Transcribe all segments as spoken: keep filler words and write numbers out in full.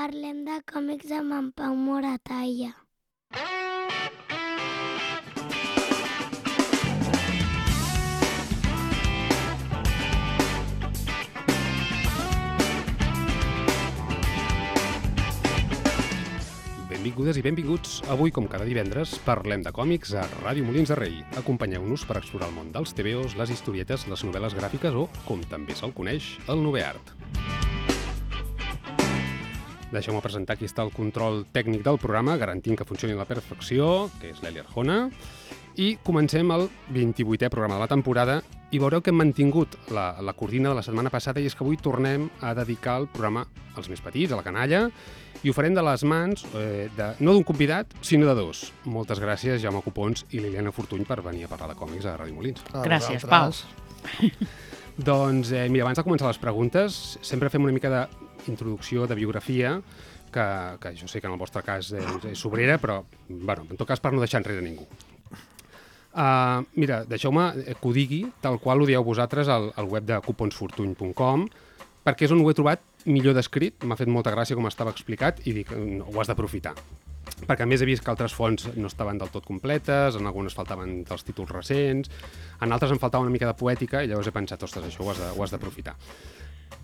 Parlem de còmics amb en Pau Moratalla. Benvingudes i benvinguts. Avui, com cada divendres, parlem de còmics a Ràdio Molins de Rei. Acompanyeu-nos per explorar el món dels tebeos, les historietes, les novel·les gràfiques o, com també se'l coneix, el noveart. Deixeu-me presentar qui està al control tècnic del programa, garantint que funcioni a la perfecció, que és l'Eli Arjona. I comencem el vint-i-vuitè programa de la temporada i veureu que hem mantingut la, la cortina de la setmana passada i és que avui tornem a dedicar el programa als més petits, a la canalla, i ho farem de les mans, eh, de, no d'un convidat, sinó de dos. Moltes gràcies, Jaume Copons i Liliana Fortuny, per venir a parlar de còmics a Ràdio Molins. Gràcies, Pau. Doncs, eh, mira, abans de començar les preguntes, sempre fem una mica d'introducció, de biografia, que, que jo sé que en el vostre cas és, és sobrera, però, bueno, en tot cas per no deixar enrere ningú. Uh, mira, deixeu-me que ho digui tal qual ho dieu vosaltres al, al web de cupons fortuny punt com, perquè és on ho he trobat millor descrit. M'ha fet molta gràcia com estava explicat i dic, no, ho has d'aprofitar. Perquè a més he vist que altres fonts no estaven del tot completes, en algunes faltaven dels títols recents, en altres em faltava una mica de poètica i llavors he pensat, ostres, això ho has d'aprofitar.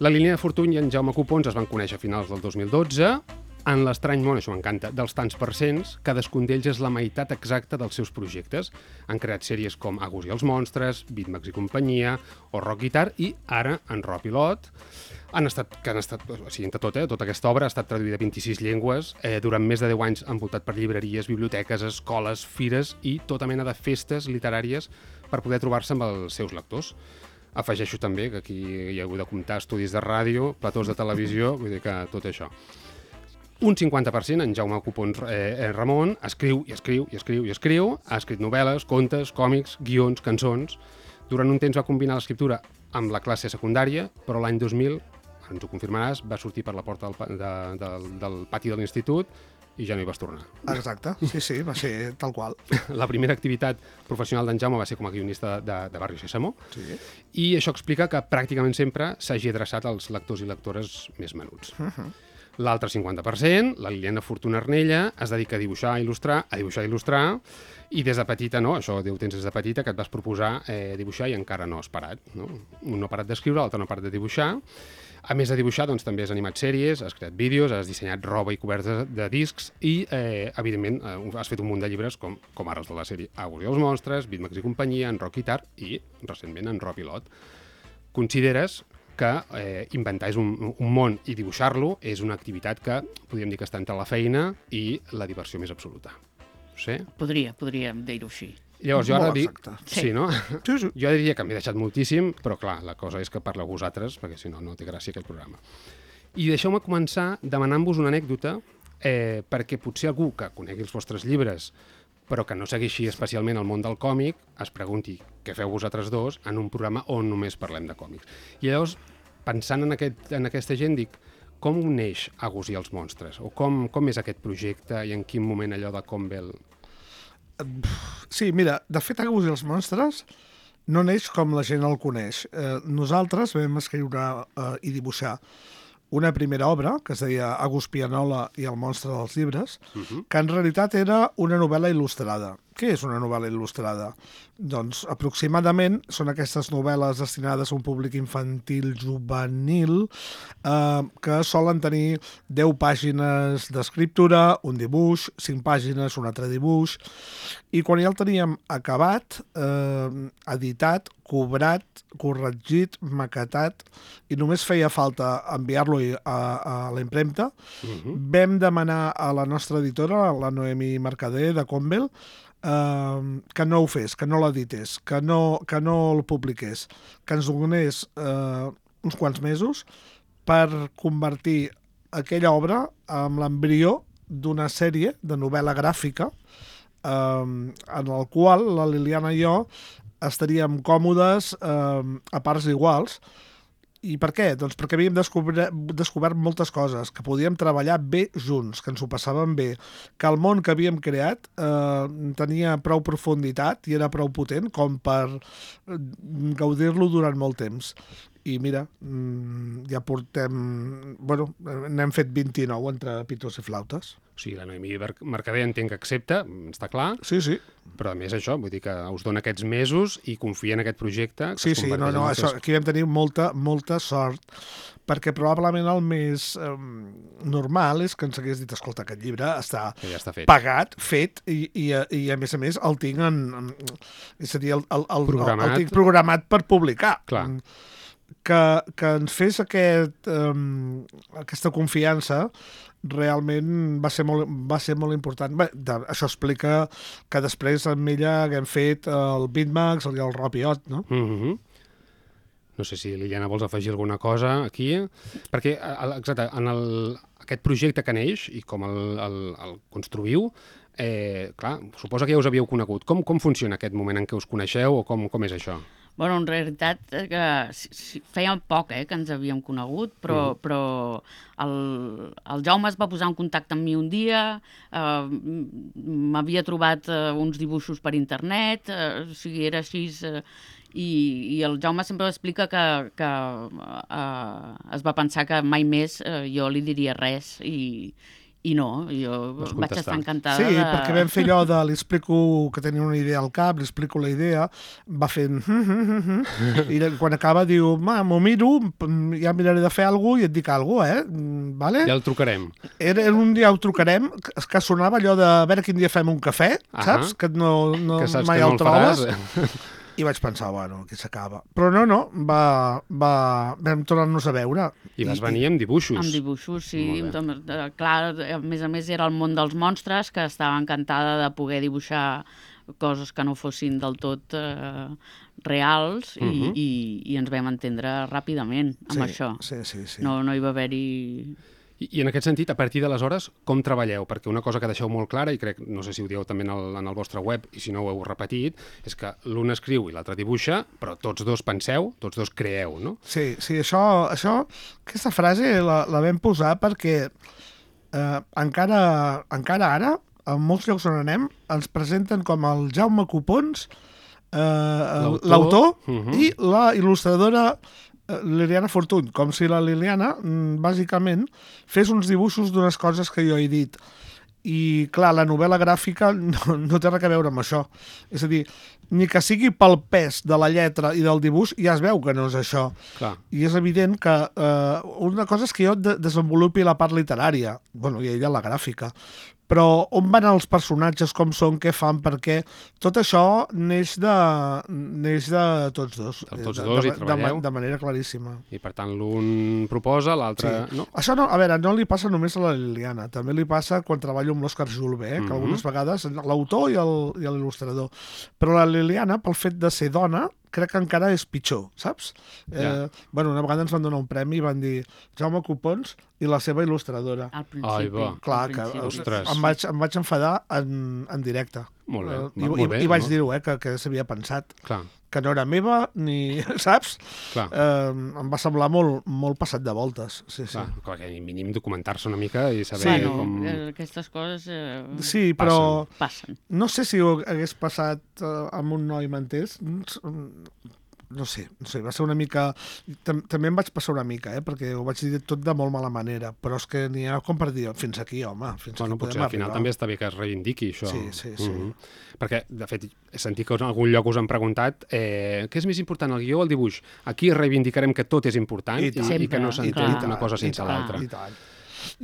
La Liliana Fortuny i en Jaume Copons es van conèixer a finals del dos mil dotze, en l'estrany món, això m'encanta, dels tants per cents, cadascun d'ells és la meitat exacta dels seus projectes. Han creat sèries com Agus i els monstres, Bitmax i companyia, o Rock Guitar, i ara en Rob i Lot. Han estat, que han estat, o sigui, entre tot, eh, tota aquesta obra ha estat traduïda a vint-i-sis llengües, eh, durant més de deu anys envoltat per llibreries, biblioteques, escoles, fires i tota mena de festes literàries per poder trobar-se amb els seus lectors. Afegeixo també que aquí hi ha hagut de comptar estudis de ràdio, platós de televisió, vull dir que tot això. Un cinquanta per cent, en Jaume Copons eh, Ramon, escriu i escriu i escriu i escriu, ha escrit novel·les, contes, còmics, guions, cançons. Durant un temps va combinar l'escriptura amb la classe secundària, però l'any dos mil, ens ho confirmaràs, va sortir per la porta del, de, del, del pati de l'institut i ja no hi vas tornar. Exacte, sí, sí, va ser tal qual. La primera activitat professional d'en Jaume va ser com a guionista de, de Barri Sésamo, sí. I això explica que pràcticament sempre s'hagi adreçat als lectors i lectores més menuts. Uh -huh. L'altre cinquanta per cent, la Liliana Fortuny Arnella, es dedica a dibuixar, a il·lustrar, a dibuixar i il·lustrar, i des de petita, no, això ho tens des de petita, que et vas proposar eh, dibuixar i encara no has parat. No? Un no ha parat d'escriure, l'altre no ha parat de dibuixar. A més de dibuixar, doncs, també has animat sèries, has creat vídeos, has dissenyat roba i coberts de, de discs i, eh, evidentment, eh, has fet un munt de llibres com, com ara els de la sèrie Agus i els monstres, Bitmax i companyia, en Rock Guitar i, recentment, en Rob i Lot. Consideres que eh, inventar és un, un món i dibuixar-lo és una activitat que podríem dir que està entre la feina i la diversió més absoluta. Sí? Podria, podríem dir-ho així. Llavors, jo ara dic... Sí. Sí, no? Sí, sí. Jo diria que m'he deixat moltíssim, però clar, la cosa és que parleu vosaltres, perquè si no, no té gràcia aquest programa. I deixeu-me començar demanant-vos una anècdota, eh, perquè potser algú que conegui els vostres llibres però que no segueixi especialment el món del còmic, es pregunti què feu vosaltres dos en un programa on només parlem de còmics. I llavors, pensant en, aquest, en aquesta gent, dic, com neix Agus i els monstres? O com, com és aquest projecte i en quin moment allò de com ve el... Sí, mira, de fet, Agus i els monstres no neix com la gent el coneix. Eh, nosaltres vam escriure eh, i dibuixar una primera obra, que es deia Agus Pianola i el monstre dels llibres, uh-huh. que en realitat era una novel·la il·lustrada. Què és una novel·la il·lustrada? Doncs aproximadament són aquestes novel·les destinades a un públic infantil juvenil eh, que solen tenir deu pàgines d'escriptura, un dibuix, cinc pàgines, un altre dibuix, i quan ja el teníem acabat, eh, editat, cobrat, corregit, maquetat, i només feia falta enviar-lo a, a la impremta, uh-huh. vam demanar a la nostra editora, la Noemi Mercader de Convel, Uh, que no ho fes, que no l'edités, que no, que no el publiqués, que ens donés uh, uns quants mesos per convertir aquella obra en l'embrió d'una sèrie de novel·la gràfica uh, en el qual la Liliana i jo estaríem còmodes uh, a parts iguals. I per què? Doncs perquè havíem descobert, descobert moltes coses, que podíem treballar bé junts, que ens ho passàvem bé, que el món que havíem creat eh, tenia prou profunditat i era prou potent com per gaudir-lo durant molt temps. i mira, ja portem... Bueno, n'hem fet vint-i-nou entre pitos i flautes. O sigui, la Noemí Mercader entenc que accepta, està clar, Sí, sí. però a més això, vull dir que us dona aquests mesos i confia en aquest projecte. Que Sí, es sí, no, converteix no, en això, tres- aquí vam tenir molta, molta sort, perquè probablement el més eh, normal és que ens hagués dit, escolta, aquest llibre està Que ja està fet. pagat, fet, i, i, i a més a més el tinc en... en és a dir, el, el, el, Programat. el tinc programat per publicar. Clar. Que, que ens fes aquest, um, aquesta confiança realment va ser molt, va ser molt important. Bé, de, això explica que després amb ella haguem fet el Bitmax i el Rapiot, no? Mm-hmm. No sé si, Liliana, vols afegir alguna cosa aquí? Perquè, el- exacte, en el, aquest projecte que neix i com el, el, el construïu, eh, clar, suposa que ja us havíeu conegut. Com, com funciona aquest moment en què us coneixeu o com, com és això? Bueno, en realitat eh, que si, si, feia poc eh, que ens havíem conegut, però, mm. però el, el Jaume es va posar en contacte amb mi un dia, eh, m'havia trobat eh, uns dibuixos per internet, eh, o sigui, era així... Eh, i, i el Jaume sempre explica que, que eh, es va pensar que mai més eh, jo li diria res i, i no, jo Vas vaig contestar. estar encantada Sí, de... perquè vam fer allò de li explico que tenia una idea al cap, li explico la idea, va fent... i quan acaba diu, ma, m'ho miro, ja miraré de fer alguna cosa i et dic alguna cosa, eh? Vale? Ja el trucarem. Era, era un dia ho trucarem, que, que sonava allò de a veure quin dia fem un cafè, Ahà. saps? Que no, no Que saps mai que no el el trobes. faràs. I vaig pensar, bueno, aquí s'acaba. Però no, no, va, va, vam tornar-nos a veure. I vas venir amb dibuixos. Amb dibuixos, sí. Molt bé. Doncs, eh, clar, a més a més era el món dels monstres, que estava encantada de poder dibuixar coses que no fossin del tot eh, reals i, Mhm. i, i ens vam entendre ràpidament amb sí, això. Sí, sí, sí. No, no hi va haver-hi... I, I en aquest sentit, a partir d'aleshores, com treballeu? Perquè una cosa que deixeu molt clara, i crec, no sé si ho dieu també en el, en el vostre web, i si no ho heu repetit, és que l'un escriu i l'altre dibuixa, però tots dos penseu, tots dos creeu, no? Sí, sí, això, això aquesta frase la, la vam posar perquè eh, encara, encara ara, en molts llocs on anem, ens presenten com el Jaume Copons, eh, L'autor. l'autor Mhm. i la il·lustradora eh, Liliana Fortuny, com si la Liliana, mm, bàsicament, fes uns dibuixos d'unes coses que jo he dit. I, clar, la novel·la gràfica no, no té res a veure amb això. És a dir, ni que sigui pel pes de la lletra i del dibuix, ja es veu que no és això. Clar. I és evident que eh, una cosa és que jo de desenvolupi la part literària, bueno, i ella la gràfica, però on van els personatges, com són, què fan, per què... Tot això neix de, neix de tots dos. De tots de, dos de, hi treballeu. de, de manera claríssima. I per tant, l'un proposa, l'altre... Sí. No? Això no, a veure, no li passa només a la Liliana, també li passa quan treballo amb l'Òscar Julve, eh, que Mhm. algunes vegades l'autor i el- i l'il·lustrador. Però la Liliana, pel fet de ser dona, crec que encara és pitjor, saps? Eh, Ja. bueno, una vegada ens van donar un premi i van dir Jaume Copons i la seva il·lustradora. Al principi. Ai, va. Clar, al que principi. Ostres. em vaig, em vaig enfadar en, en directe. Molt bé, Eh, va, I, molt i, bé, i vaig no? dir-ho, eh, que, que s'havia pensat. Clar, Que no era meva, ni... saps? clar. Eh, em va semblar molt, molt passat de voltes. Sí, sí. Clar, clar, que mínim documentar-se una mica i saber Bueno, com... eh, aquestes coses eh, Sí, però passen. no sé si ho hagués passat eh, amb un noi m'entès. No sé, no sé, va ser una mica... Tam També em vaig passar una mica, eh, perquè ho vaig dir tot de molt mala manera, però és que n'hi ha com per dir, fins aquí, home, fins Bueno, aquí potser podem al final arribar. també està bé que es reivindiqui això. Sí, sí, sí. Mhm. Perquè, de fet, he sentit que en algun lloc us han preguntat eh, què és més important, el guió o el dibuix? Aquí reivindicarem que tot és important I i, tant. i, que no Sempre, i s'entén tant, una cosa i sense tant, l'altra. I tant.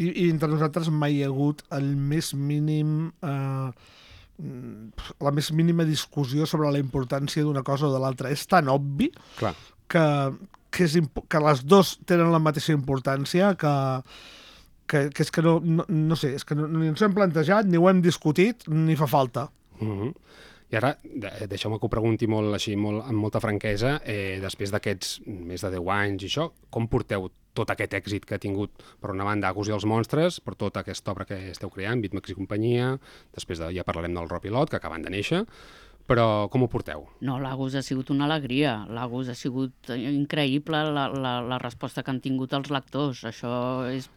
I, I entre nosaltres mai hi ha hagut el més mínim... Eh, la més mínima discussió sobre la importància d'una cosa o de l'altra. És tan obvi Clar. que, que, és que les dos tenen la mateixa importància que, que, que és que no, no, no sé, és que no, ni ens ho hem plantejat, ni ho hem discutit, ni fa falta. Mhm. I ara, de- deixeu-me que ho pregunti molt així, molt, amb molta franquesa, eh, després d'aquests més de deu anys i això, com porteu tot aquest èxit que ha tingut, per una banda, Agus i els monstres, per tota aquesta obra que esteu creant, Bitmax i companyia, després de, ja parlarem del Ropilot, que acaben de néixer, però com ho porteu? No, l'Agus ha sigut una alegria. L'Agus ha sigut increïble la, la, la resposta que han tingut els lectors. Això és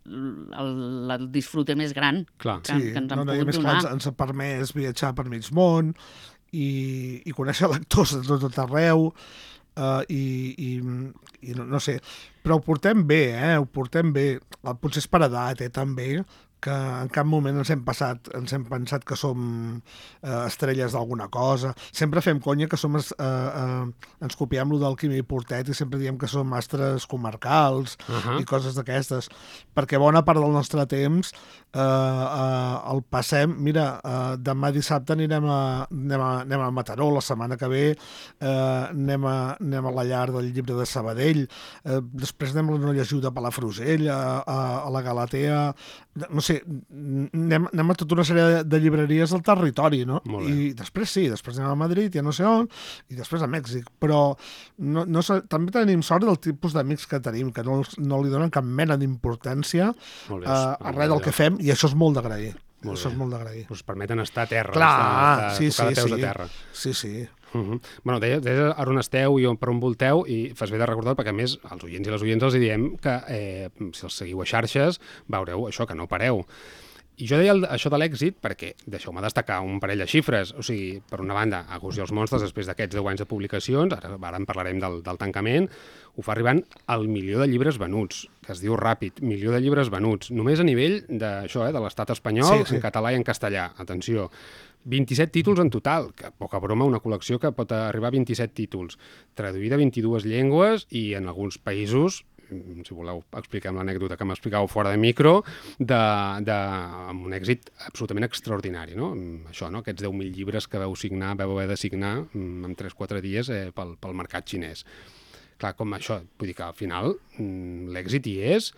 el, el disfrute més gran Clar. que, que ens han no, no, i a pogut més, donar. clar, ens, ens ha permès viatjar per mig món i, i conèixer lectors de tot, tot arreu. uh, i, i, i no, no sé, però ho portem bé, eh? Ho portem bé. Potser és per edat, eh, també, que en cap moment ens hem passat, ens hem pensat que som eh, estrelles d'alguna cosa. Sempre fem conya que som, eh, eh, ens copiem lo del Quimi Portet i sempre diem que som astres comarcals uh -huh. i coses d'aquestes, perquè bona part del nostre temps eh, eh, el passem, mira, eh, demà dissabte anirem a, anem, a, anem a Mataró, la setmana que ve eh, anem, a, anem a la llar del Llibre de Sabadell, eh, després anem a la Nolla Giu de Palafrugell, a, a, a la Galatea, no sé, anem, anem a tota una sèrie de, de llibreries del territori, no? I després sí, després anem a Madrid, ja no sé on, i després a Mèxic, però no, no, també tenim sort del tipus d'amics que tenim, que no, no li donen cap mena d'importància a, a res del que fem, i això és molt d'agrair. Això és molt d'agrair. Us permeten estar a terra, clar, estar, sí, tocar sí, de peus sí. a terra. Sí, sí. Uh -huh. Bueno, deies, deies a on esteu i on, per on volteu, i fas bé de recordar, perquè a més als oients i les oients els diem que eh, si els seguiu a xarxes veureu això, que no pareu. I jo deia el, això de l'èxit perquè, deixeu-me destacar un parell de xifres, o sigui, per una banda, Agus i els monstres, després d'aquests deu anys de publicacions, ara, ara en parlarem del, del tancament, ho fa arribant al milió de llibres venuts, que es diu ràpid, milió de llibres venuts, només a nivell d'això, eh, de l'estat espanyol, sí, sí. En català i en castellà, atenció. vint-i-set títols en total, que poca broma, una col·lecció que pot arribar a vint-i-set títols, traduïda a vint-i-dues llengües i en alguns països, si voleu expliquem l'anècdota que m'explicàveu fora de micro, de, de, amb un èxit absolutament extraordinari, no? Això, no? Aquests deu mil llibres que veu signar, veu haver de signar en tres quatre dies eh, pel, pel mercat xinès. Clar, com això, vull dir que al final l'èxit hi és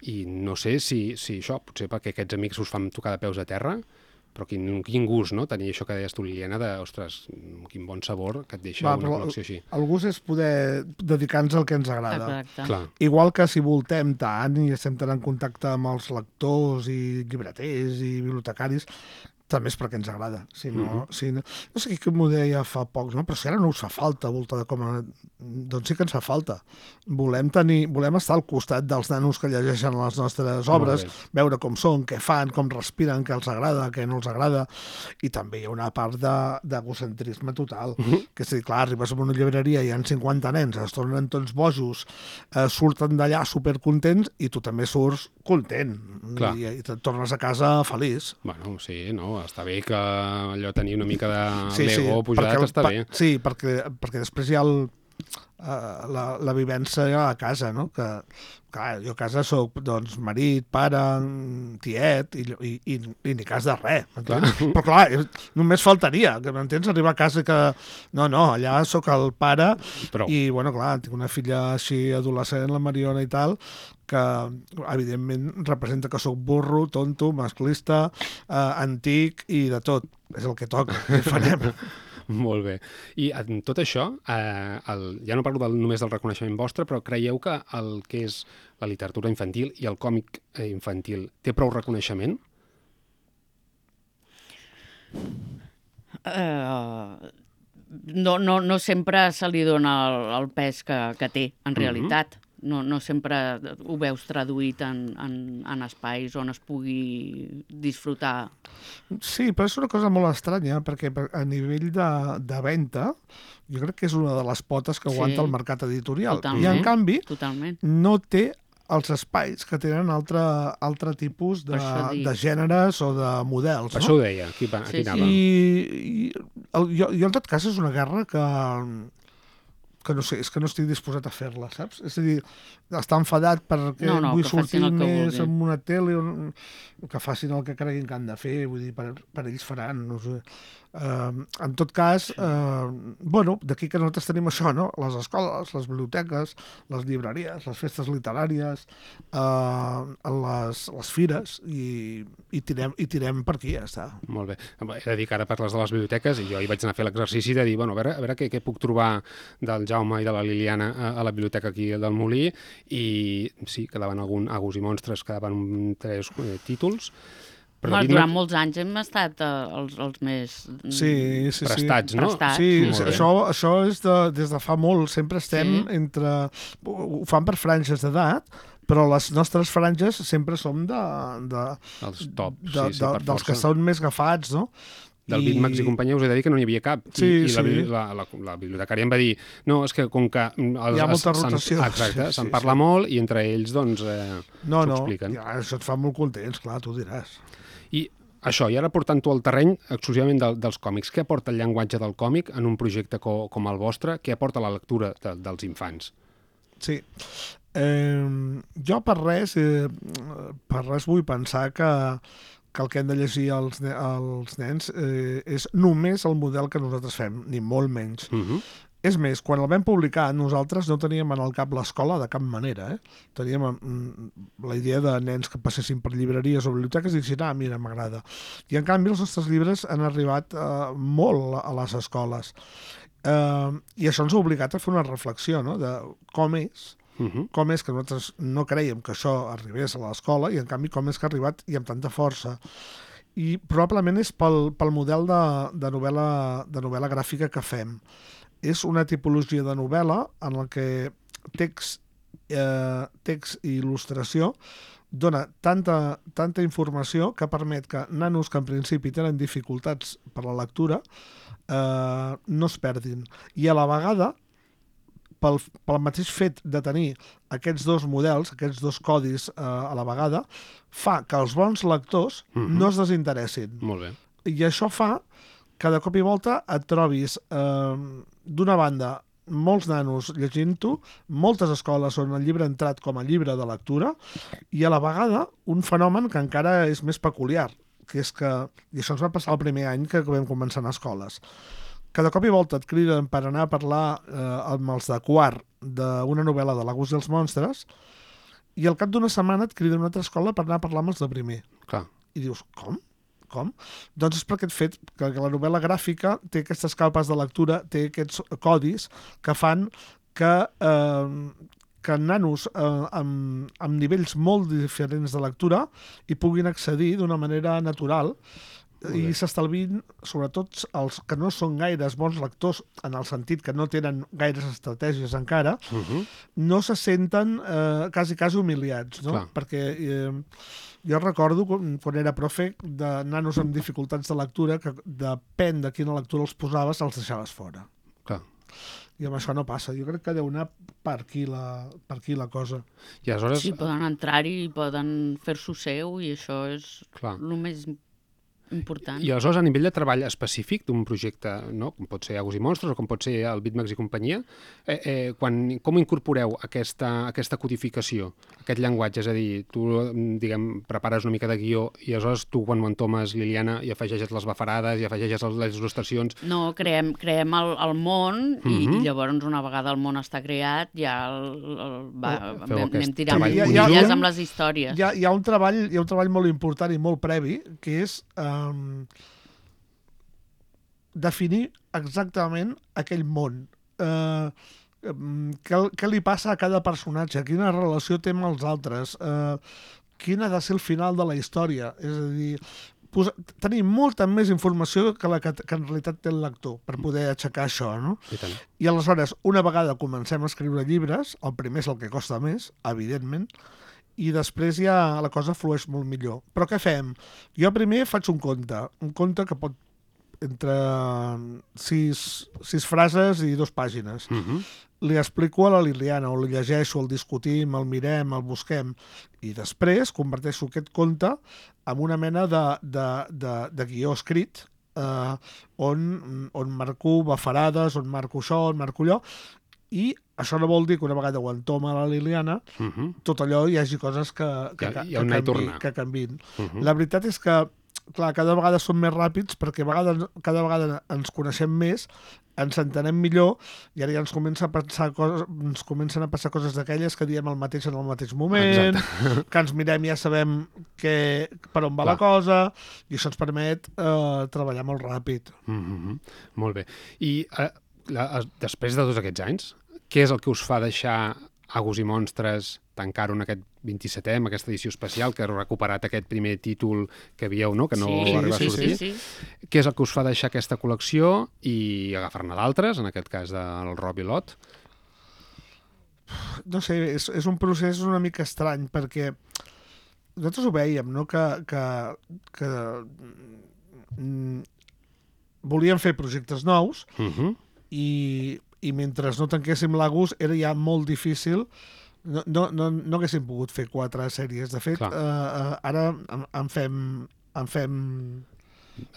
i no sé si, si això, potser perquè aquests amics us fan tocar de peus a terra, però quin, quin gust, no?, tenir això que deies tu, Liliana, de, ostres, quin bon sabor que et deixa Va, una col·lecció així. El gust és poder dedicar-nos al que ens agrada. Clar. Igual que si voltem tant i estem tan en contacte amb els lectors i llibreters i bibliotecaris, també és perquè ens agrada. Si no, uh -huh. si no, no sé qui m'ho deia fa pocs, no? Però si ara no us fa falta voltar de com a... Doncs sí que ens fa falta. Volem tenir, volem estar al costat dels nanos que llegeixen les nostres obres, veure com són, què fan, com respiren, què els agrada, què no els agrada, i també hi ha una part d'egocentrisme total. Uh -huh. Que és a dir, clar, arribes a una llibreria i hi ha cinquanta nens, es tornen tots bojos, eh, surten d'allà supercontents i tu també surts content. I, i et tornes a casa feliç. Bueno, sí, no? Està bé que allò tenir una mica de sí, l'ego sí, pujat, perquè, està bé. Sí, perquè, perquè després hi ha el, uh, la, la vivència a casa, no? Que, clar, jo a casa soc, doncs, marit, pare, tiet, i, i, i, i ni cas de res, m'entens? Però clar, només faltaria, que m'entens, arribar a casa que... No, no, allà sóc el pare, Prou. I, bueno, clar, tinc una filla així adolescent, la Mariona i tal, que evidentment representa que sóc burro, tonto, masclista, eh, antic i de tot. És el que toca, què farem? Molt bé. I en tot això, eh, el, ja no parlo del, només del reconeixement vostre, però creieu que el que és la literatura infantil i el còmic infantil té prou reconeixement? Uh, no, no, no sempre se li dona el, el pes que, que té, en realitat. Uh-huh. No, no sempre ho veus traduït en, en, en espais on es pugui disfrutar. Sí, però és una cosa molt estranya, perquè a nivell de, de venda, jo crec que és una de les potes que aguanta sí, el mercat editorial. Totalment, I, en canvi, totalment. no té els espais que tenen altre, altre tipus de, de gèneres o de models. Per no? Això ho deia, aquí, aquí sí, anava. I, i el, jo, jo, en tot cas, és una guerra que... que no sé, és que no estic disposat a fer-la, saps? És a dir, està enfadat perquè no, no, vull sortir més vulgui. en una tele, o, que facin el que creguin que han de fer, vull dir, per, per ells faran, no sé. Uh, en tot cas, uh, bueno, d'aquí que nosaltres tenim això, no? Les escoles, les biblioteques, les llibreries, les festes literàries, uh, les, les fires, i, i, tirem, i tirem per aquí, ja està. Molt bé. He de dir que ara parles de les biblioteques i jo hi vaig anar a fer l'exercici de dir, bueno, a veure, a veure què, què puc trobar del Jaume i de la Liliana a, a la biblioteca aquí del Molí, i sí, quedaven algun Agus i monstres, quedaven tres eh, títols. Però bueno, durant molts anys hem estat uh, els, els més sí, sí, prestats, sí. no? Prestats. Sí, sí això, això és de, des de fa molt. Sempre estem sí. entre... Ho fan per franges d'edat, però les nostres franges sempre som de... de els top, de, sí, sí, de, per dels força. que són més agafats, no? del I- Bitmax i companyia us he de dir que no n'hi havia cap. Sí, I, i la, sí. la, la, la bibliotecària em va dir no, és que com que... Els, Hi ha molta se'n- rotació. Exacte, Sí, se'n sí, parla sí. molt i entre ells, doncs, eh, No, s'ho no, expliquen. ja, això et fa molt contents, clar, tu diràs. I això, i ara portant-ho al terreny exclusivament del, dels còmics, què aporta el llenguatge del còmic en un projecte co, com el vostre? Què aporta la lectura de, dels infants? Sí. Eh, jo per res, eh, per res vull pensar que, que el que hem de llegir els, ne els nens eh, és només el model que nosaltres fem, ni molt menys. Uh -huh. És més, quan el vam publicar, nosaltres no teníem en el cap l'escola de cap manera. Eh? Teníem mm, la idea de nens que passessin per llibreries o biblioteques i diguessin, ah, mira, m'agrada. I en canvi els nostres llibres han arribat eh, molt a les escoles. Eh, I això ens ha obligat a fer una reflexió, no?, de com és, Uh -huh. com és que nosaltres no creiem que això arribés a l'escola i en canvi com és que ha arribat i amb tanta força. I probablement és pel, pel model de, de, novel·la, de novel·la gràfica que fem. És una tipologia de novel·la en la que text, eh, text i il·lustració dona tanta, tanta informació que permet que nanos que en principi tenen dificultats per la lectura eh, no es perdin. I a la vegada, pel, pel mateix fet de tenir aquests dos models, aquests dos codis eh, a la vegada, fa que els bons lectors Mhm. no es desinteressin. Molt bé. I això fa que de cop i volta et trobis, eh, d'una banda, molts nanos llegint-ho, moltes escoles on el llibre ha entrat com a llibre de lectura, i a la vegada un fenomen que encara és més peculiar, que és que, i això ens va passar el primer any que vam començar a escoles, que de cop i volta et criden per anar a parlar eh, amb els de quart d'una novel·la de l'Agus i els monstres, i al cap d'una setmana et criden a una altra escola per anar a parlar amb els de primer. Clar. I dius, com? Com? Doncs és per aquest fet que, que la novel·la gràfica té aquestes capes de lectura, té aquests codis que fan que, eh, que nanos eh, amb, amb nivells molt diferents de lectura hi puguin accedir d'una manera natural i s'estalvin, sobretot els que no són gaires bons lectors, en el sentit que no tenen gaires estratègies encara, Uh -huh. no se senten eh, quasi, quasi humiliats, no? Clar. Perquè eh, jo recordo quan, quan era profe de nanos amb dificultats de lectura que depèn de quina lectura els posaves, els deixaves fora. Clar. I amb això no passa. Jo crec que deu anar per aquí la, per aquí la cosa. I aleshores... Sí, poden entrar-hi i poden fer-s'ho seu i això és Clar. el més important. I aleshores, a nivell de treball específic d'un projecte, no? Com pot ser Agus i Monstres o com pot ser el Bitmax i companyia, eh, eh, quan, com incorporeu aquesta, aquesta codificació, aquest llenguatge? És a dir, tu, diguem, prepares una mica de guió i aleshores tu, quan ho entomes, Liliana, i afegeixes les bafarades i afegeixes les il·lustracions... No, creem, creem el, el món i, Mhm. i llavors una vegada el món està creat ja el, el, va, Feu anem, aquest anem tirant treball puntilles conjunt. amb les històries. Hi ha, hi, ha un treball, hi ha un treball molt important i molt previ, que és eh, definir exactament aquell món. Eh, què, què li passa a cada personatge, quina relació té amb els altres, eh, quin ha de ser el final de la història. És a dir, posa, tenir molta més informació que la que, que en realitat té el lector per poder aixecar això, no? I tant. I aleshores, una vegada comencem a escriure llibres, el primer és el que costa més, evidentment, i després ja la cosa flueix molt millor. Però què fem? Jo primer faig un conte, un conte que pot entre sis, sis frases i dues pàgines. Uh -huh. Li explico a la Liliana, o el llegeixo, el discutim, el mirem, el busquem, i després converteixo aquest conte en una mena de, de, de, de guió escrit, eh, on, on marco bafarades, on marco això, on marco allò, i això no vol dir que una vegada ho entoma la Liliana, Uh -huh. tot allò hi hagi coses que, que, Hi ha- que, hi ha un anar i canvi, tornar. que canvin. Uh -huh. La veritat és que, clar, cada vegada som més ràpids perquè a vegades, cada vegada ens coneixem més, ens entenem millor i ara ja ens, comença a pensar coses, ens comencen a passar coses d'aquelles que diem el mateix en el mateix moment, Exacte. que ens mirem i ja sabem que, per on va Clar. la cosa, i això ens permet eh, treballar molt ràpid. Uh -huh. Molt bé. I eh, la, després de tots aquests anys, què és el que us fa deixar Agus i Monstres, tancar-ho en aquest vint-i-setè, amb aquesta edició especial, que heu recuperat aquest primer títol que havíeu, no?, que no sí, va arribar sí, a sortir? Sí, sí. Què és el que us fa deixar aquesta col·lecció i agafar-ne d'altres, en aquest cas del Rob i l'Ot? No sé, és, és un procés una mica estrany, perquè nosaltres ho veiem, no?, que, que, que mm, volíem fer projectes nous Uh -huh. i, i mentre no tanquéssim l'Agus era ja molt difícil. No, no, no, no haguéssim pogut fer quatre sèries. De fet, Clar. eh, eh, ara en, en fem... En fem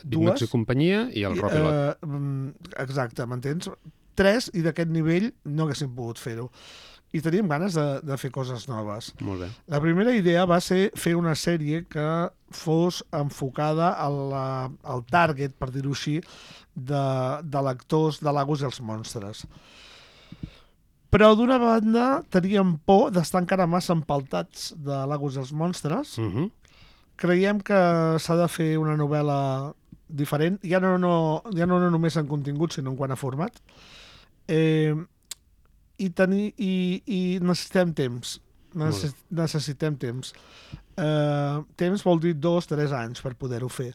Bitmax i companyia i el Ropilot. Eh, mm, exacte, m'entens? Tres, i d'aquest nivell no haguéssim pogut fer-ho. I teníem ganes de, de fer coses noves. Molt bé. La primera idea va ser fer una sèrie que fos enfocada al, la, al target, per dir-ho així, de, de lectors de l'Agus i els monstres. Però d'una banda teníem por d'estar encara massa empaltats de l'Agus i els monstres. Uh -huh. Creiem que s'ha de fer una novel·la diferent, ja no, no, ja no només en contingut, sinó en quant a format. Eh, i, tenir, i, i necessitem temps. Necess, necessitem temps. Eh, temps vol dir dos, tres anys per poder-ho fer.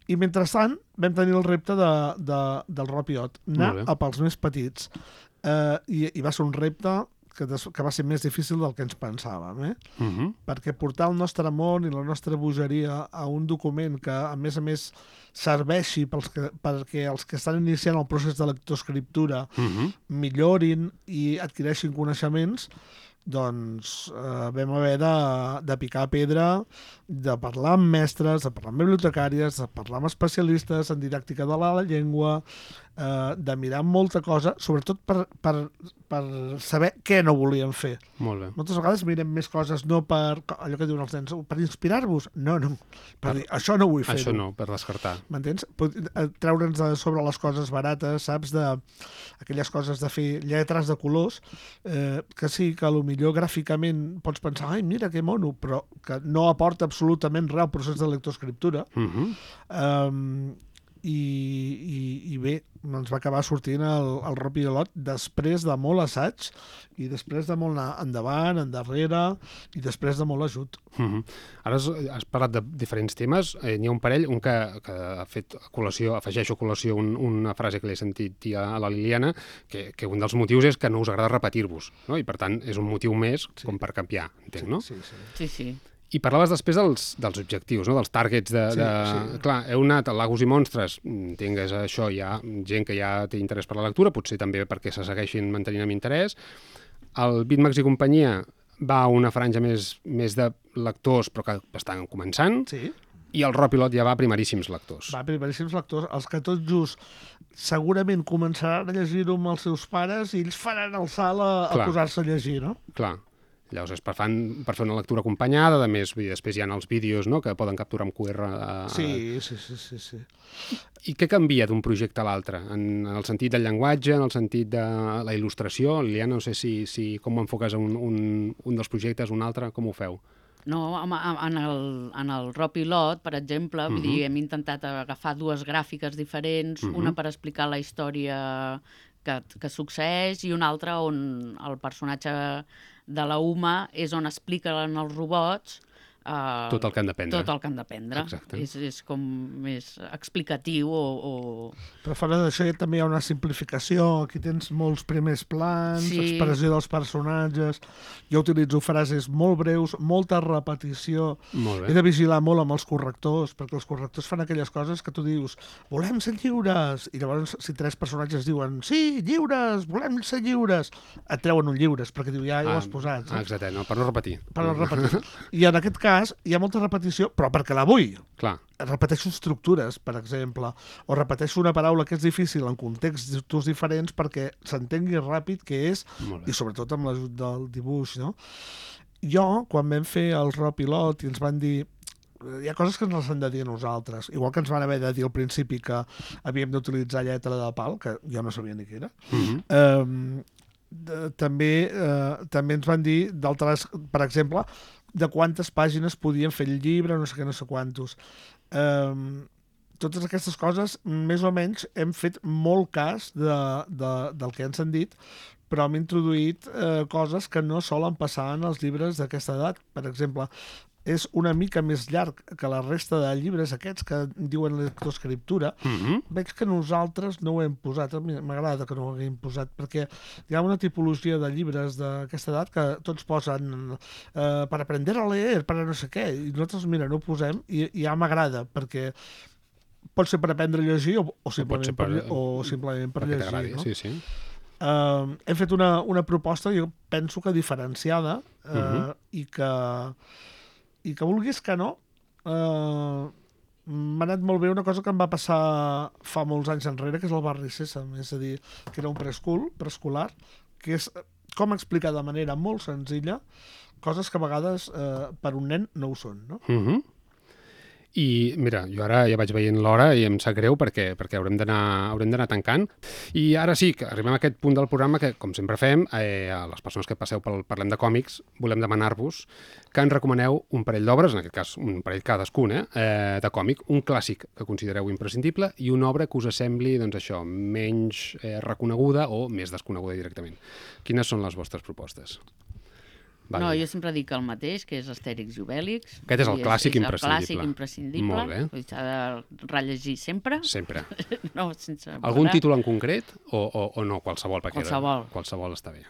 I mentrestant vam tenir el repte de, de, del Ropilot, anar a pels més petits. Eh, i, I va ser un repte que, des, que va ser més difícil del que ens pensàvem, eh? Uh -huh. Perquè portar el nostre món i la nostra bogeria a un document que, a més a més, serveixi pels que, perquè els que estan iniciant el procés de lectoescriptura uh -huh. millorin i adquireixin coneixements, doncs eh, vam haver de, de picar pedra, de parlar amb mestres, de parlar amb bibliotecàries, de parlar amb especialistes en didàctica de la llengua, eh, de mirar molta cosa, sobretot per, per, per saber què no volíem fer. Molt bé. Moltes vegades mirem més coses no per, allò que diuen els nens, per inspirar-vos. No, no. Per dir, això no vull fer-ho. Això no, per descartar. M'entens? Treure'ns de sobre les coses barates, saps? De, aquelles coses de fer lletres de colors, eh, que sí, que potser gràficament pots pensar, ai, mira, que mono, però que no aporta absolutament res al procés de lectoescriptura. Uh -huh. um, i, i, i bé, ens va acabar sortint el, el Ropilot després de molt assaig i després de molt anar endavant, endarrere i després de molt ajut. Uh -huh. Ara has, has parlat de diferents temes. Eh, N'hi ha un parell, un que, que ha fet col·lació, afegeixo a col·lació un, una frase que l'he sentit dir a la Liliana, que, que un dels motius és que no us agrada repetir-vos, no? I per tant és un motiu més Sí. com per canviar, entenc, Sí, no? sí, sí. Sí, sí. I parlaves després dels, dels objectius, no? Dels targets de... Sí, de... sí. Clar, heu anat a Lagos i Monstres, tingues això, hi ha gent que ja té interès per la lectura, potser també perquè se segueixin mantenint amb interès. El Bitmax i companyia va a una franja més, més de lectors, però que estan començant, Sí. i el Ropilot ja va a primeríssims lectors. Va, primeríssims lectors, els que tot just segurament començaran a llegir-ho amb els seus pares i ells faran el salt a, a Clar. posar-se a llegir, no? Clar. Llavors és per, fan, per fer una lectura acompanyada, a més, vull dir, després hi ha els vídeos, no?, que poden capturar amb Q R. A... Sí, sí, sí, sí, sí. I què canvia d'un projecte a l'altre? En el sentit del llenguatge, en el sentit de la il·lustració? Liliana, no sé si, si com ho enfoques un, un, un dels projectes, un altre, com ho feu? No, en, en el, en el Ropilot, per exemple, uh -huh. vull dir, hem intentat agafar dues gràfiques diferents, uh -huh. una per explicar la història que, que succeeix i una altra on el personatge de la Uma és on expliquen els robots Uh, tot el que han d'aprendre. Tot el que han d'aprendre. És, és com més explicatiu o... o... Però fora d'això també hi ha una simplificació. Aquí tens molts primers plans, sí. expressió dels personatges. Jo utilitzo frases molt breus, molta repetició. Molt bé. He de vigilar molt amb els correctors, perquè els correctors fan aquelles coses que tu dius volem ser lliures, i llavors si tres personatges diuen sí, lliures, volem ser lliures, et treuen un lliures, perquè diu ja, ja ho has posat. Ah, exacte, no, per no repetir. Per no repetir. I en aquest cas hi ha molta repetició, però perquè la vull. Clar. Repeteixo estructures, per exemple, o repeteixo una paraula que és difícil en contextos diferents perquè s'entengui ràpid què és, i sobretot amb l'ajut del dibuix, no? Jo, quan vam fer el Ropilot i ens van dir hi ha coses que ens les han de dir a nosaltres, igual que ens van haver de dir al principi que havíem d'utilitzar lletra de pal, que jo no sabia ni què era. Mm-hmm. eh, de, també, eh, també ens van dir d'altres, per exemple, de quantes pàgines podien fer el llibre, no sé què, no sé quantos. Um, totes aquestes coses, més o menys, hem fet molt cas de, de, del que ens han dit, però hem introduït eh, coses que no solen passar en els llibres d'aquesta edat. Per exemple, és una mica més llarg que la resta de llibres aquests que diuen lectoescriptura. Mm-hmm. Veig que nosaltres no ho hem posat. M'agrada que no ho haguem posat, perquè hi ha una tipologia de llibres d'aquesta edat que tots posen eh, per aprender a leer, per a no sé què, i nosaltres, mira, no ho posem, i, i ja m'agrada, perquè pot ser per aprendre a llegir o, o, simplement, per, per, o simplement per llegir. No? Sí, sí. Uh, hem fet una, una proposta, jo penso que diferenciada, uh, uh -huh. i, que, i que vulguis que no, uh, m'ha anat molt bé una cosa que em va passar fa molts anys enrere, que és el barri Sèsam, és a dir, que era un preschool, preescolar, que és com explicar de manera molt senzilla coses que a vegades eh, per un nen no ho són, no? Uh -huh. I mira, jo ara ja vaig veient l'hora i em sap greu perquè, perquè haurem d'anar haurem d'anar tancant. I ara sí, que arribem a aquest punt del programa que, com sempre fem, eh, a les persones que passeu pel Parlem de Còmics, volem demanar-vos que ens recomaneu un parell d'obres, en aquest cas un parell cadascun, eh, eh, de còmic, un clàssic que considereu imprescindible i una obra que us sembli, doncs això, menys eh, reconeguda o més desconeguda directament. Quines són les vostres propostes? Vale. No, jo sempre dic el mateix, que és Astèrix i Obèlix. Aquest és el clàssic és, és imprescindible. El clàssic imprescindible. Molt bé. S'ha de rellegir sempre. Sempre. No, sense Algun títol en concret o, o, o no? Qualsevol. Qualsevol. Era, qualsevol està bé.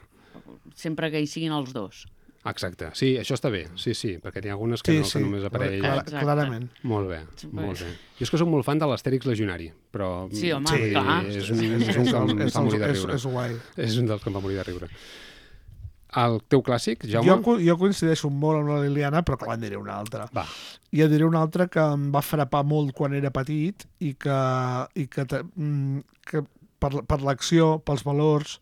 Sempre que hi siguin els dos. Exacte. Sí, això està bé. Sí, sí, perquè n'hi ha algunes que, sí, no, sí. que només apareix... Clar, clarament. Molt bé, molt bé. Jo és que soc molt fan de l'Astèrix Legionari, però... Sí, home, sí, clar. És un, és un que em fa morir de riure. És, és guai. És un dels que em fa morir de riure. El teu clàssic, Jaume? Jo, jo coincideixo molt amb la Liliana, però clar, en diré una altra. Va. I en diré una altra que em va frapar molt quan era petit i que, i que, que per, per l'acció, pels valors,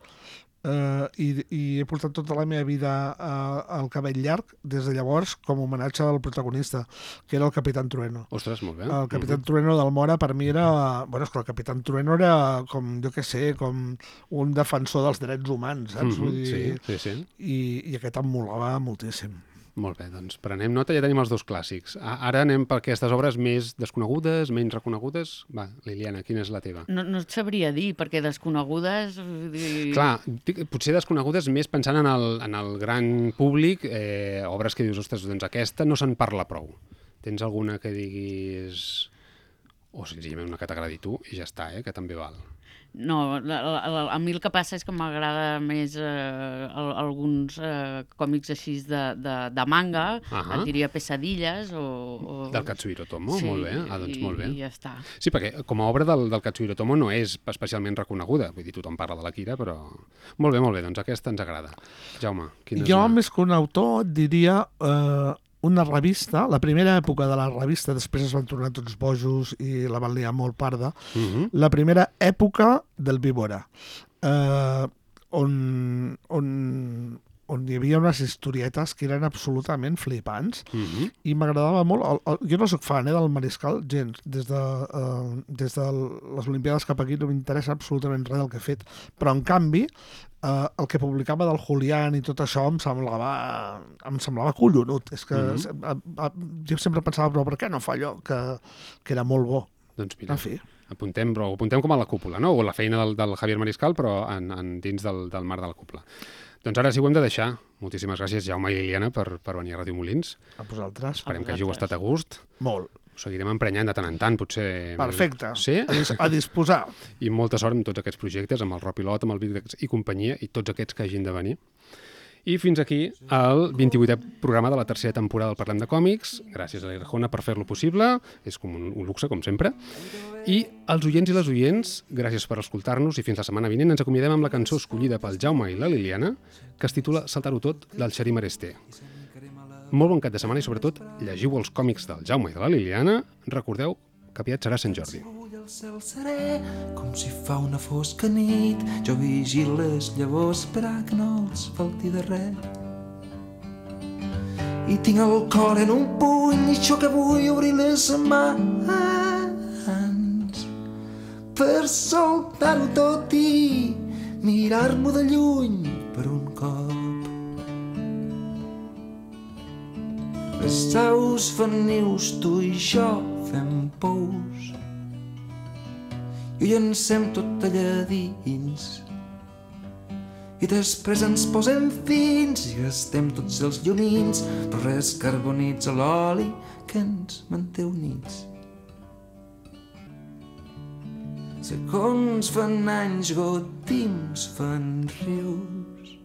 eh, i, i he portat tota la meva vida eh, al cabell llarg, des de llavors, com a homenatge al protagonista, que era el Capitán Trueno. Ostres, molt bé. El Capitán uh-huh. Trueno del Mora per mi era... Bueno, és que el Capitán Trueno era com, jo què sé, com un defensor dels drets humans, saps? Uh-huh. Vull dir, sí, sí, sí. I, i aquest em molava moltíssim. Molt bé, doncs prenem nota, ja tenim els dos clàssics. Ara anem per aquestes obres més desconegudes, menys reconegudes. Va, Liliana, quina és la teva? No, no et sabria dir, perquè desconegudes... Clar, potser desconegudes més pensant en el, en el gran públic, eh, obres que dius, ostres, doncs aquesta no se'n parla prou. Tens alguna que diguis... O senzillament una que t'agradi tu i ja està, eh, que també val. No, la, la, a mi el que passa és que m'agrada més eh, alguns eh, còmics així de, de, de manga, uh-huh. et diria Pesadilles o... o... Del Katsuhiro Tomo, sí, molt bé. Ah, doncs molt bé. I ja està. Sí, perquè com a obra del, del Katsuhiro Tomo no és especialment reconeguda, vull dir, tothom parla de l'Akira, però... Molt bé, molt bé, doncs aquesta ens agrada. Jaume, quina és Jo, una... més que un autor, et diria... Eh... una revista, la primera època de la revista, després es van tornar tots bojos i la van liar molt parda, uh-huh. la primera època del Víbora, eh, on, on, on hi havia unes historietes que eren absolutament flipants, uh-huh. i m'agradava molt, el, el, jo no soc fan eh, del Mariscal, gens, des de, uh, des de les Olimpiades cap aquí no m'interessa absolutament res del que he fet, però en canvi, Uh, el que publicava del Julián i tot això em semblava, em semblava collonut. És que mm-hmm. a, a, jo sempre pensava, però per què no fa allò? Que, que era molt bo. Doncs mira, en fi. Apuntem, però ho apuntem com a la cúpula, no? O la feina del, del Javier Mariscal, però en, en dins del, del mar de la cúpula. Doncs ara sí ho hem de deixar. Moltíssimes gràcies, Jaume i Liliana, per, per venir a Ràdio Molins. A vosaltres. Esperem que hàgiu estat a gust. Molt. Ho seguirem emprenyant de tant en tant, potser... Perfecte. Sí? A, dis a disposar. I molta sort amb tots aquests projectes, amb el Rob Pilot, amb el Vídex i companyia, i tots aquests que hagin de venir. I fins aquí el vint-i-vuitè programa de la tercera temporada del Parlem de Còmics. Gràcies a l'Irjona per fer-lo possible. És com un, un luxe, com sempre. I als oients i les oients, gràcies per escoltar-nos, i fins la setmana vinent ens acomiadem amb la cançó escollida pel Jaume i la Liliana, que es titula Saltar-ho tot, del Xarí Maresté. Molt bon cap de setmana i, sobretot, llegiu els còmics del Jaume i de la Liliana. Recordeu que aviat serà Sant Jordi. El cel serè, com si fa una fosca nit, jo vigilo les llavors per a que no els falti de res. I tinc el cor en un puny i això que vull obrir les mans per soltar-ho tot i mirar-m'ho de lluny per un cop. Les aus fan nius, tu i jo fem pous i ho llancem tot allà dins i després ens posem fins i gastem tots els llumins però res carbonitza l'oli que ens manté units. Segons fan anys, gotims fan rius